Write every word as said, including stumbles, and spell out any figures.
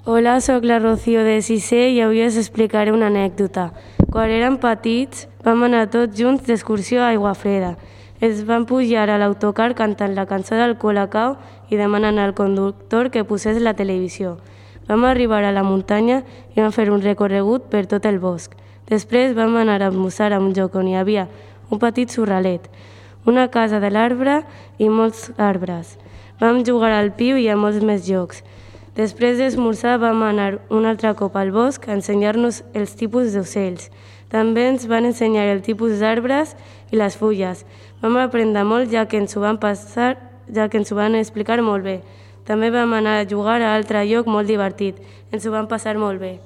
Hola, sóc la Rocío de sisè i avui us explicaré una anècdota. Quan érem petits vam anar tots junts d'excursió a Aiguafreda. Ens vam pujar a l'autocar cantant la cançó del Colacao i demanant al conductor que posés la televisió. Vam arribar a la muntanya i vam fer un recorregut per tot el bosc. Després vam anar a almoçar a un lloc on hi havia un petit xurralet, una casa de l'arbre i molts arbres. Vam jugar al piu i a molts més jocs. Després d'esmorzar vam anar un altre cop al bosc a ensenyar-nos els tipus d'ocells. També ens van ensenyar el tipus d'arbres i les fulles. Vam aprendre molt ja que ens ho van passar, ja que ens ho van explicar molt bé. També vam anar a jugar a altre lloc molt divertit. Ens ho vam passar molt bé.